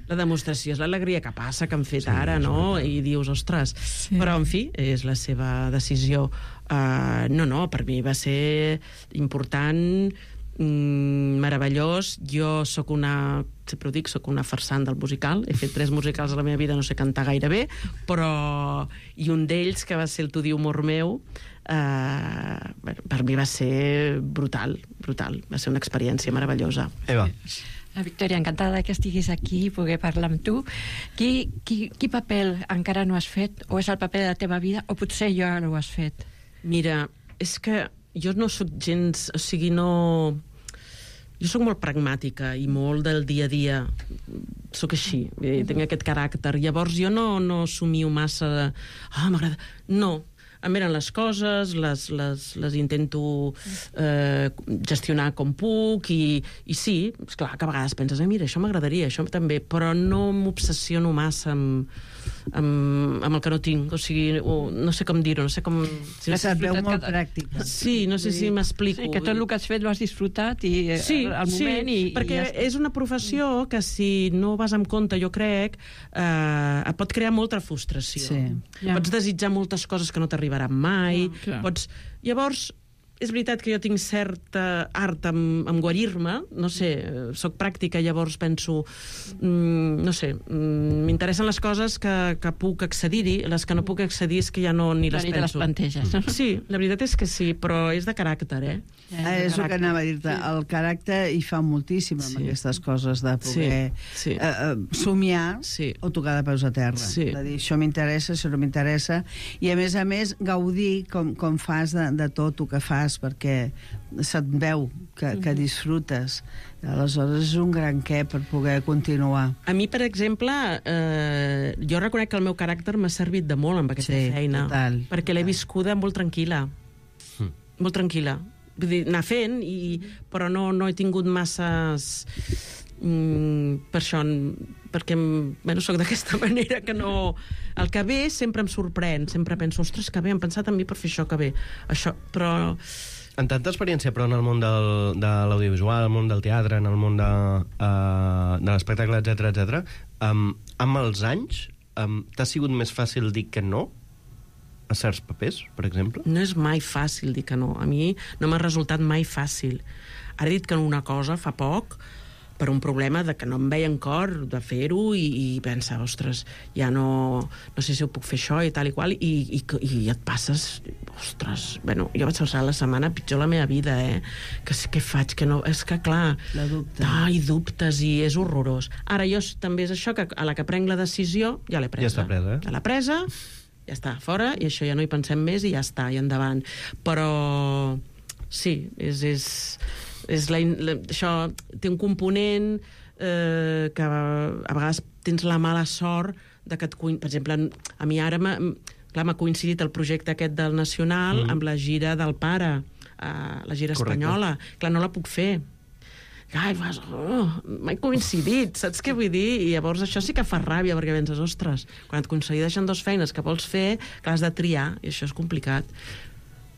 La demostració és l'alegria que passa, que han fet sí, ara, no? I dius, ostres... Sí. Però, en fi, és la seva decisió. Uh, no, no, per mi va ser important... Mm, meravellós. Jo sóc una, sempre ho dic, sóc una farsant del musical. He fet tres musicals a la meva vida, no sé cantar gaire bé, però... I un d'ells, que va ser el Tu diu amor meu, eh, bueno, per mi va ser brutal, brutal. Va ser una experiència meravellosa. Eva. La Victòria, encantada que estiguis aquí i poder parlar amb tu. Qui, qui, qui paper encara no has fet? O és el paper de la teva vida? O potser ja ho has fet? Mira, és que jo no sóc gens... O sigui, no... Jo sóc molt pragmàtica i molt del dia a dia. Sóc així, eh, tinc aquest caràcter. Llavors jo no, no somio massa de... Ah, m'agrada... No. Em venen les coses, les, les, les intento eh, gestionar com puc i, i sí, esclar, que a vegades penses, eh, mira, això m'agradaria, això també, però no m'obsessiono massa amb, amb, amb el que no tinc, o sigui, o, no sé com dir-ho, no sé com... Si que se't veu molt que... pràctica. Sí, no sé si m'explico. Sí, que tot el que has fet lo has disfrutat i sí, al moment sí, i, perquè i ja està. és una professió que si no vas amb compte, jo crec, eh, et pot crear molta frustració. Sí. Ja. Pots desitjar moltes coses que no t'arribaran mai. Ja, pots... Llavors, és veritat que jo tinc cert art en, en guarir-me, no sé, soc pràctica, llavors penso, mm, no sé, mm, m'interessen les coses que, que puc accedir-hi, les que no puc accedir és que ja no ni les Ni te les penso. planteges. Sí, la veritat és que sí, però és de caràcter, eh? Ah, és el que anava a dir-te. El caràcter hi fa moltíssim amb Sí. aquestes coses de poder Sí, sí. Eh, eh, somiar Sí. o tocar de peus a terra. Sí. De dir, això m'interessa, això no m'interessa. I, a més a més, gaudir com, com fas de, de tot el que fas, perquè se't veu que, que disfrutes. Aleshores, és un gran què per poder continuar. A mi, per exemple, eh, jo reconec que el meu caràcter m'ha servit de molt amb aquesta Sí, feina, total, perquè l'he viscuda molt tranquil·la. Mm. Molt tranquil·la. Vull dir, anar fent, i, però no, no he tingut masses... Mm, per això, perquè bueno, soc d'aquesta manera que no... El que ve sempre em sorprèn, sempre penso, ostres, que bé, han pensat en mi per fer això, que bé. Això, però... En tanta experiència, però, en el món del, de l'audiovisual, el món del teatre, en el món de, uh, de l'espectacle, etcètera, etcètera, um, amb els anys, um, t'ha sigut més fàcil dir que no a certs papers, per exemple? No és mai fàcil dir que no. A mi no m'ha resultat mai fàcil. Ara he dit que una cosa fa poc per un problema de que no em veia en cor de fer-ho i, i pensa, ostres, ja no, no sé si ho puc fer això i tal i qual, i, i, i et passes, ostres, bueno, jo vaig passar la setmana pitjor la meva vida, eh? Que, què faig? Que no, és que clar, La dubte. ai, dubtes, i és horrorós. Ara jo també és això, que a la que prenc la decisió, ja l'he presa. Ja està presa, eh? Ja l'he presa, ja està, fora, i això ja no hi pensem més i ja està, i endavant. Però sí, és... és és la, la, això té un component eh, que a vegades tens la mala sort de que et, per exemple, a mi ara m'ha coincidit el projecte aquest del Nacional mm. amb la gira del pare, eh, la gira Correcte. espanyola. Clar, no la puc fer. Ai, vas, oh, m'ha coincidit, saps què vull dir? I llavors això sí que fa ràbia, perquè penses, ostres, quan et coincideixen dues feines que vols fer, que has de triar, i això és complicat.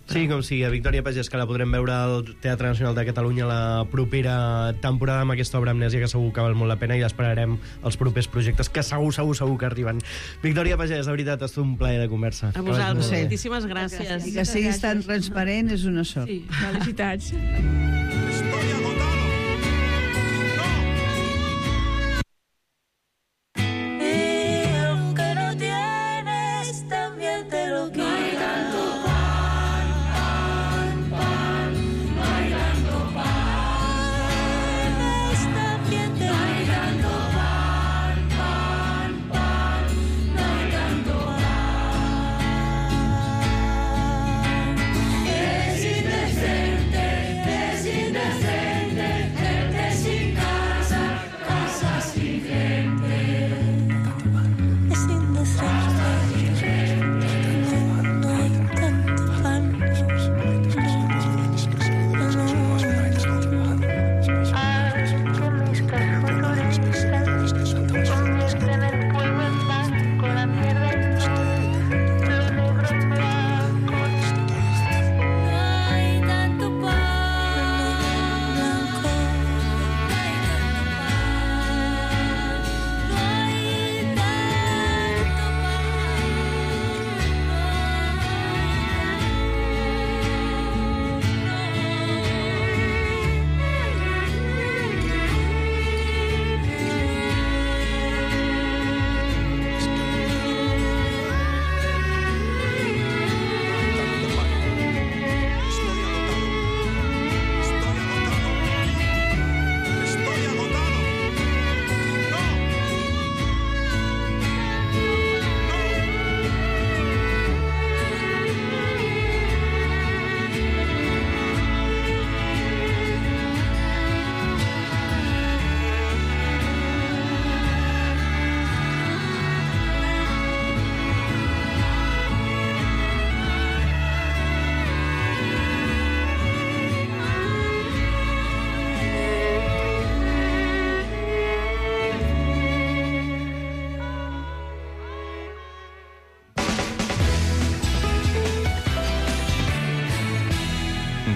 Sí, com si a Victòria Pagès, que la podrem veure al Teatre Nacional de Catalunya la propera temporada amb aquesta obra Amnèsia, que segur que val molt la pena, i esperarem els propers projectes, que segur, segur, segur que arriben. Victòria Pagès, de veritat, ha estat un plaer de conversa. A vosaltres, Sí. moltíssimes gràcies. I que siguis tan transparent és una sort. Sí, felicitats. Y aunque no tienes, también te lo quiero.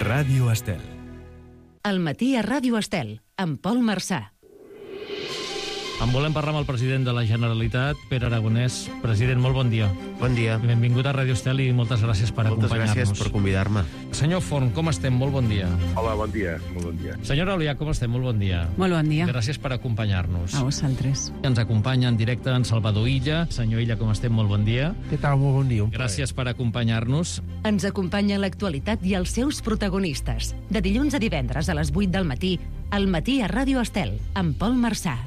Ràdio Estel. Al matí a Ràdio Estel, amb Pol Marçà. En volem parlar amb el president de la Generalitat, Pere Aragonès. President, molt bon dia. Bon dia. Benvingut a Ràdio Estel i moltes gràcies per Moltes acompanyar-nos. gràcies per convidar-me. Senyor Forn, com estem? Molt bon dia. Hola, bon dia. Molt bon dia. Senyora Olià, com estem? Molt bon dia. Molt bon dia. Gràcies per acompanyar-nos. A vosaltres. Ens acompanya en directe en Salvador Illa. Senyor Illa, com estem? Molt bon dia. Què tal? Molt bon dia. Gràcies per acompanyar-nos. Ens acompanya l'actualitat i els seus protagonistes. De dilluns a divendres a les vuit del matí, al matí a Ràdio Estel, amb Pol Marçà.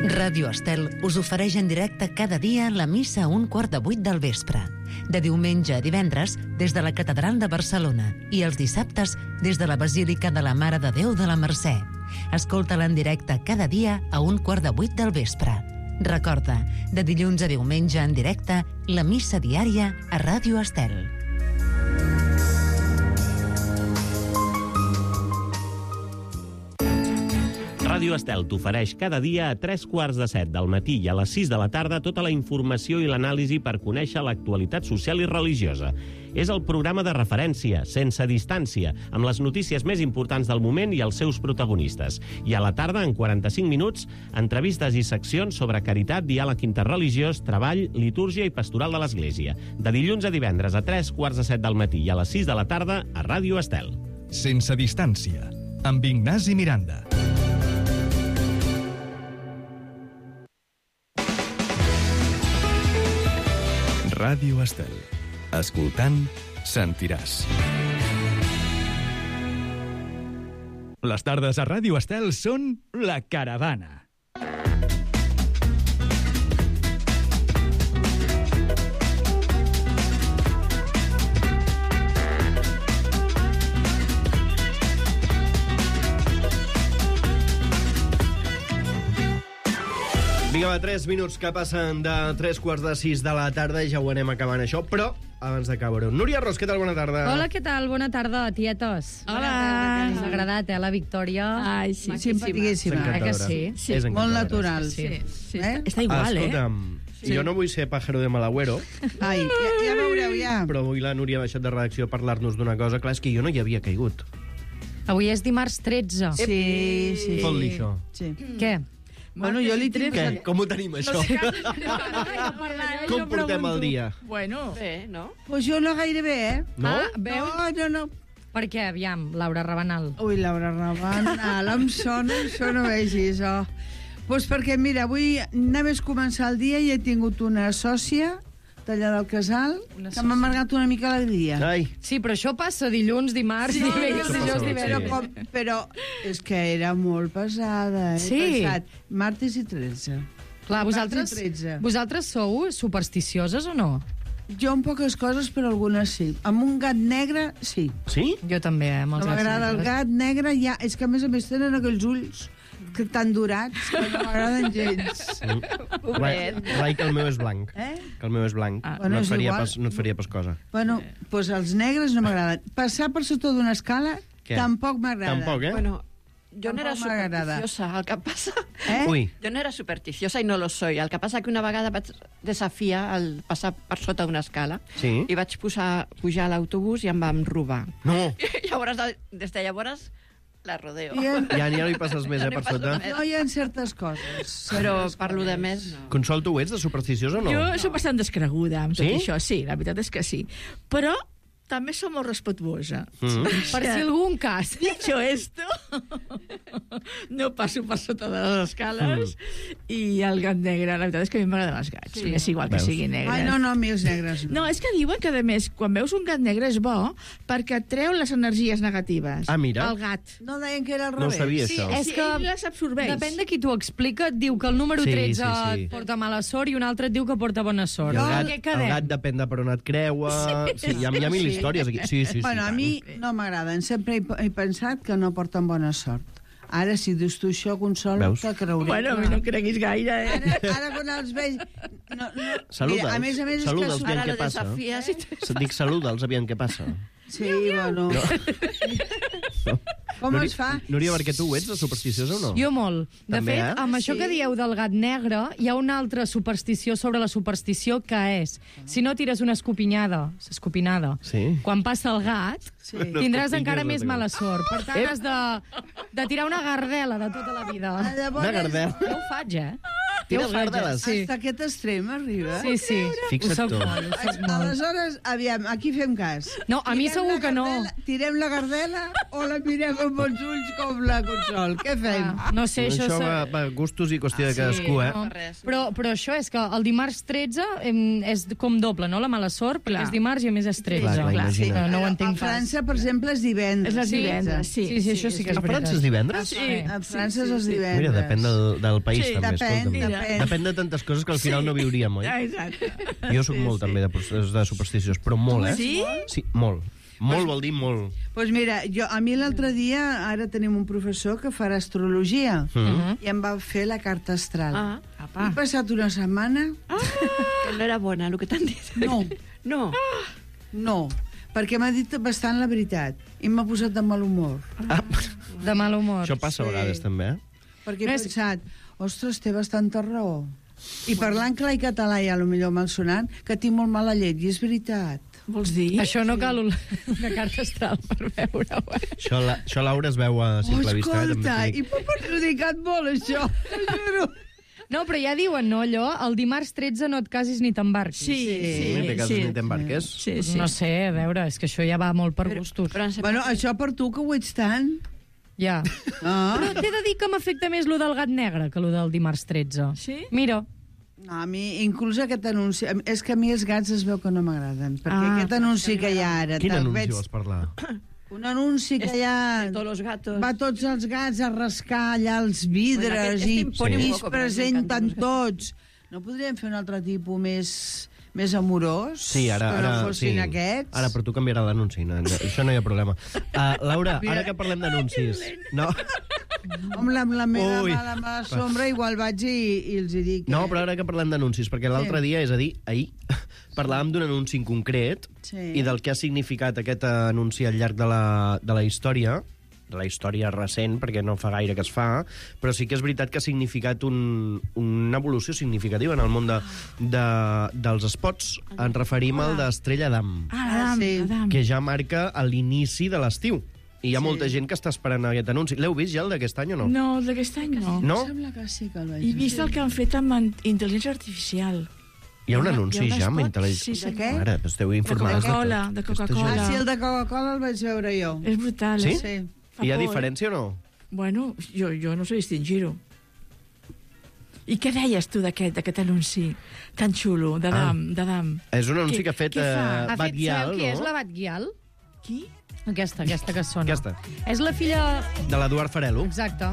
Ràdio Estel us ofereix en directe cada dia la missa a un quart de vuit del vespre. De diumenge a divendres, des de la Catedral de Barcelona, i els dissabtes, des de la Basílica de la Mare de Déu de la Mercè. Escolta-la en directe cada dia a un quart de vuit del vespre. Recorda, de dilluns a diumenge en directe, la missa diària a Ràdio Estel. Ràdio Estel t'ofereix cada dia a tres quarts de set del matí i a les sis de la tarda tota la informació i l'anàlisi per conèixer l'actualitat social i religiosa. És el programa de referència, sense distància, amb les notícies més importants del moment i els seus protagonistes. I a la tarda, en quaranta-cinc minuts, entrevistes i seccions sobre caritat, diàleg interreligiós, treball, litúrgia i pastoral de l'Església. De dilluns a divendres a tres quarts de set del matí i a les sis de la tarda a Ràdio Estel. Sense distància, amb Ignasi Miranda. Ràdio Estel. Escoltant, sentiràs. Les tardes a Ràdio Estel són La Caravana. Vinga, va, tres minuts que passen de tres quarts de sis de la tarda i ja ho anem acabant això, però abans d'acabar-ho. Núria Ros, què tal? Bona tarda. Hola, què tal? Bona tarda, tietos. Hola. Ens ha agradat, eh, la Victòria. Ai, sí, simpaticíssima. Eh que sí? Sí. És Molt encantadora. natural. Sí, sí. Eh? Està igual, eh? Escolta'm, Sí. jo no vull ser pájaro de mal agüero, Ai, ja, ja veureu, ja. però avui la Núria ha baixat de redacció a parlar-nos d'una cosa. Clar, és que jo no hi havia caigut. Avui és dimarts tretze. Sí, sí. Fot-li això. Sí. Què? Bueno, jo li tinc... Què? Com ho tenim, això? No sé, Com portem el dia? Bueno. Bé, no? Pues jo no gaire bé, eh? No? Ah, veus? No, no, no. Per què, aviam, Laura Rabanal? Ui, Laura Rabanal, em sona, això no vegis, oh. Pues perquè, mira, avui només començar el dia i he tingut una sòcia d'allà del casal, que m'ha amargat una mica l'alegria. Ai. Sí, però això passa dilluns, dimarts, Sí, dimecres, això dijous, passa, divendres. però, com, però és que era molt pesada. He Sí. pensat, martes i tretze. Clar, vosaltres, Martes i tretze. vosaltres sou supersticioses o no? Jo en poques coses, però algunes sí. Amb un gat negre, sí. Sí? Jo també, eh, amb els No gats m'agrada el negres. gat negre, ja... És que, a més a més, tenen aquells ulls que tan durats que no m'agraden gens. Rai, Rai, que el meu és blanc. Eh? Que el meu és blanc. Ah, no, bueno, et és faria igual. pas, no et faria pas cosa. Bueno, doncs els negres no m'agraden. Passar per sota d'una escala Què? tampoc m'agrada. Tampoc, eh? Bueno, yo no era Tampoc m'agrada. supersticiosa, el que passa... Eh? Ui. Jo no era supersticiosa i no lo soy. El que passa que una vegada vaig desafiar el passar per sota d'una escala Sí. i vaig posar, pujar a l'autobús i em vam robar. No. I llavors, des de llavors, la rodeo. I en- Ja, ja no hi passes més, eh, per sota. No hi ha certes coses. Però certes parlo de coses. més, no. Consol, tu ho ets de supersticiosa o no? Jo soc bastant descreguda amb tot Sí? això, sí, la veritat és que sí. Però també som molt respetuosa. Mm. Per si algun cas. Dicho esto, no passo per sota de les escales Mm. i el gat negre, la veritat és que a mi m'agraden els gats. Sí. Sí. És igual Veus? que siguin negres. Ai, no, no, a mi els negres no. No, és que diuen que, a més, quan veus un gat negre és bo perquè et treu les energies negatives. Ah, mira. El gat. No deien que era al No ho revés. sabia, Sí, això. és Sí, que ell les absorbeix. depèn de qui t'ho explica, et diu que el número Sí, tretze sí, sí. et porta mala sort i un altre et diu que porta bona sort. I el En gat, què el quedem? gat depèn de per on et creua... Sí, hi ha, hi ha mil Sí. històries aquí. Sí, sí, sí. Bueno, a tant. mi no m'agraden. Sempre he, he pensat que no porten bona sort. Ara, si dius tu això, Consol, Veus? te creuré. Bueno, a mi no em creguis gaire, eh? Ara, ara quan els veig... No, no, Saluda'ls. mira, a més a més, Saluda'ls, és que... aviam Ara què lo passa. desafies i... Et dic saluda'ls, aviam què passa. Sí, bueno... Com Núria, es fa? Núria, perquè tu ho ets, de supersticiosa o no? Jo molt. De També, fet, eh? amb això Sí. que dieu del gat negre, hi ha una altra superstició sobre la superstició que és, si no tires una escopinyada, escopinada, Sí. quan passa el gat, Sí. tindràs No encara escopingues, més no mala sort. Per tant, Ep. has de, de tirar una gardela de tota la vida. Ah, llavors, Una gardela. Jo ho faig, eh? Tires Jo ho faig, eh? gardeles? Sí. Hasta aquest extrem arriba? Sí, sí. Fixa't Ho soc tu. molt, ho soc molt. Aleshores, aviam, aquí fem cas. No, a mi Tirem segur la que no. gardela- Tirem la gardela o la mirem amb els ulls com la Consol? Què fem? Ah, no sé, això... Això se- va, va gustos i qüestió de cadascú, eh? no. Però, però això és que el dimarts tretze em, és com doble, no? La mala sort, perquè és dimarts i a més és tretze. Clar, clar, imagina't. Que no ho A entenc pas. França, per exemple, és divendres. És els Sí. divendres, sí. Sí, sí, això sí que és A França veritat. és divendres? Sí. A França és els sí. divendres. Mira, depèn del, del país, Sí, també. depèn, escolta'm. depèn. Depèn de tantes coses que al final Sí. no viuríem, oi? Ah, exacte. Jo sóc molt, també, de, de supersticiós, però molt, eh? Sí? Sí, molt. Molt vol dir molt. Doncs pues mira, jo, a mi l'altre dia, ara tenim un professor que farà astrologia, Mhm. i em va fer la carta astral. Ah, He passat una setmana... que no era bona, el que t'han dit. No, No. no, perquè m'ha dit bastant la veritat i m'ha posat de mal humor. Ah, De mal humor. això passa a Sí. vegades, també, eh? Perquè he No és- pensat, ostres, té bastanta raó. I parlant clar i català, i a lo millor malsonant, que tinc molt mala llet, i és veritat. Vols dir? Això no cal una, una carta astral per veure-ho. Eh? Això, la, això Laura, es veu a simple Oh, vista. eh? escolta, També i t'ho dic. m'ha perjudicat molt, això. T'ho juro. No, però ja diuen, no, allò, el dimarts tretze no et casis ni t'embarquis. Sí, sí, Sí, de cases sí. ni t'embarques. Sí, sí. No sé, a veure, és que això ja va molt per gustos. Però em sembla Bueno, això per tu, que ho ets tant. Ja. Ah. Però t'he de dir que m'afecta més lo del gat negre que lo del dimarts tretze. Sí? Mira, No, a mi, inclús aquest anunci... És que a mi els gats es veu que no m'agraden, perquè Ah, aquest anunci que hi ha ara... Quin te'l anunci veig- vols parlar? Un anunci que hi ha... de todos los gatos. Va tots els gats a rascar allà els vidres Bueno, aquest i, este impone un i es poco, però presenten m'encanten tots. No podríem fer un altre tipus més, més amorós? Sí, ara... que ara no fossin sí. aquests? Ara per tu canviarà l'anunci, no, no, això no hi ha problema. Uh, Laura, ara que parlem d'anuncis... No, Amb la, amb la meva Ui. mala, mala sombra igual vaig i, i els hi dic... no, eh? però ara que parlem d'anuncis, perquè l'altre Sí. dia, és a dir, ahir, parlàvem d'un anunci en concret Sí. i del que ha significat aquest anunci al llarg de la, de la història, de la història recent, perquè no fa gaire que es fa, però sí que és veritat que ha significat un, una evolució significativa en el món de, de, dels spots. Ens referim al d'Estrella d'Am, Ah, Adam, Sí. Adam. que ja marca l'inici de l'estiu. I hi ha molta gent que està esperant aquest anunci. L'heu vist ja, el d'aquest any, o no? No, d'aquest any no. No? Em sembla que sí que el vaig He vist veure. el que han fet amb en- intel·ligència artificial. Hi ha un Hi ha- anunci hi ha un ja amb spot? intel·ligència... Sí, sí. De què? Mare, esteu informades de, Coca-Cola, tot. de Aquesta Coca-Cola. gent. Ah, sí, el de Coca-Cola el vaig veure jo. És brutal. Sí? eh? Sí. Fa Hi ha por, eh? diferència o no? Bueno, jo, jo no sé distingir-ho. I què deies tu d'aquest d'aquest anunci tan xulo, d'Adam? Ah. d'Adam? És un anunci Què- que ha fet què fa? eh, ha Bat fet, Guial, sabeu qui és no? la Bat Guial? Qui? Aquesta, aquesta que sona. Aquesta. És la filla... De l'Eduard Farelo. Exacte.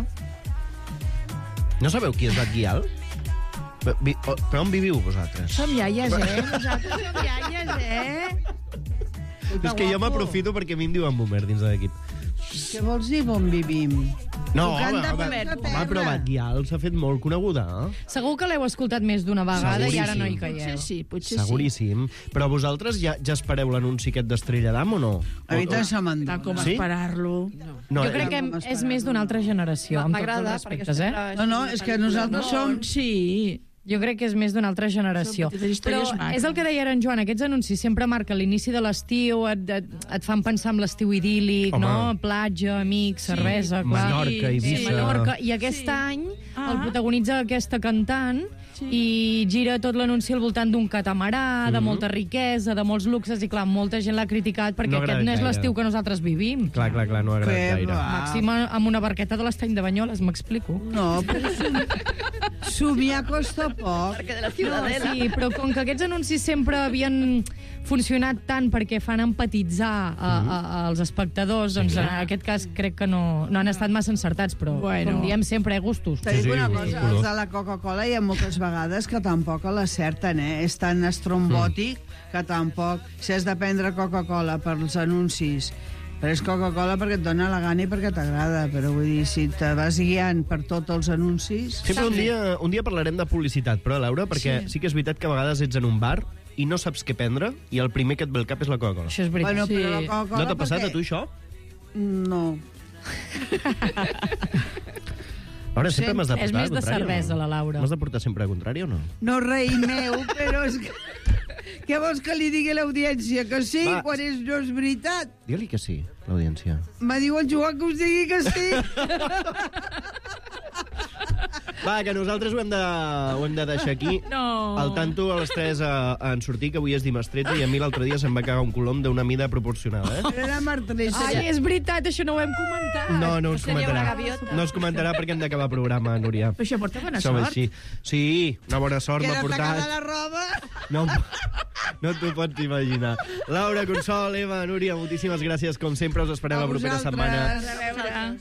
No sabeu qui és Bat Guial? Però, vi- o- però on viviu vosaltres? Som iaies, eh? Nosaltres som iaies, eh? És que jo m'aprofito perquè a mi em diuen boomer dins de l'equip. Què vols dir, on vivim? No, Tocant home, de home, peus a home, terra. però Bat Guial s'ha fet molt coneguda. Eh? Segur que l'heu escoltat més d'una vegada i ara no hi caieu. Potser sí, potser Seguríssim. Però vosaltres ja, ja espereu l'anunci aquest d'Estrella d'Am o no? A mi O- tant o- se me'n sí. Tant com Sí? esperar-lo. No, Jo crec eh, que és més d'una altra generació, amb tots els M'agrada, respectes, eh? No, no, és que nosaltres som... Sí. Jo crec que és més d'una altra generació. Són petites Però històries maques. és el que deia ara en Joan, aquests anuncis sempre marquen l'inici de l'estiu, et, et, et fan pensar en l'estiu idíl·lic, Home. no? Platja, amics, cervesa... clar. Menorca, Sí, Eivissa. Menorca. I aquest Sí. any Ah. el protagonitza aquesta cantant i gira tot l'anunci al voltant d'un catamarà, de Mhm. molta riquesa, de molts luxes, i clar, molta gent l'ha criticat perquè No ha aquest no és agradat l'estiu gaire. que nosaltres vivim. Clar, clar, clar, no ha agradat Que gaire. va. Màxim amb una barqueta de l'estany de Banyoles, m'explico. No, però som... somiar costa poc. No, sí, però com que aquests anuncis sempre havien funcionat tant perquè fan empatitzar a, a, als espectadors, doncs en aquest cas crec que no, no han estat massa encertats, però Bueno. com diem sempre, eh, gustos. T'he dit sí, una sí, cosa, color. els de la Coca-Cola hi ha moltes vegades que tampoc l'acerten, eh? És tan estrombòtic que tampoc... Si has de prendre Coca-Cola pels anuncis, però és Coca-Cola perquè et dona la gana i perquè t'agrada, però vull dir, si te vas guiant per tots els anuncis... Sempre un dia, un dia parlarem de publicitat, però, Laura, perquè sí. sí que és veritat que a vegades ets en un bar i no saps què prendre i el primer que et ve al cap és la Coca-Cola. Això és veritat. Bueno, però la Sí. Coca-Cola No t'ha passat perquè- a tu això? No. Laura, sempre m'has de portar És més de al contrari, cervesa, o no? la Laura. M'has de portar sempre al contrari o no? No, rei meu, però és que... Què vols que li digui a l'audiència? Que sí, Va. quan és, no és veritat? Digue-li que sí, l'audiència. Me diu el Joan que us digui que sí. Va, que nosaltres ho hem de, ho hem de deixar aquí. No. Al tanto a les tres a, a en sortir, que avui és dimestreta, i a mi l'altre dia se'm va cagar un colom d'una mida proporcionada, eh? Era martressa. Ai, és veritat, això no ho hem comentat. No, no us Seria una comentarà. gaviota. No us comentarà perquè hem d'acabar el programa, Núria. Però això porta bona Som sort. així. Sí, una bona sort Que m'ha era tacada portat. la roba. No, no t'ho pots imaginar. Laura, Consol, Eva, Núria, moltíssimes gràcies. Com sempre, us esperem A la propera vosaltres. setmana. A veure.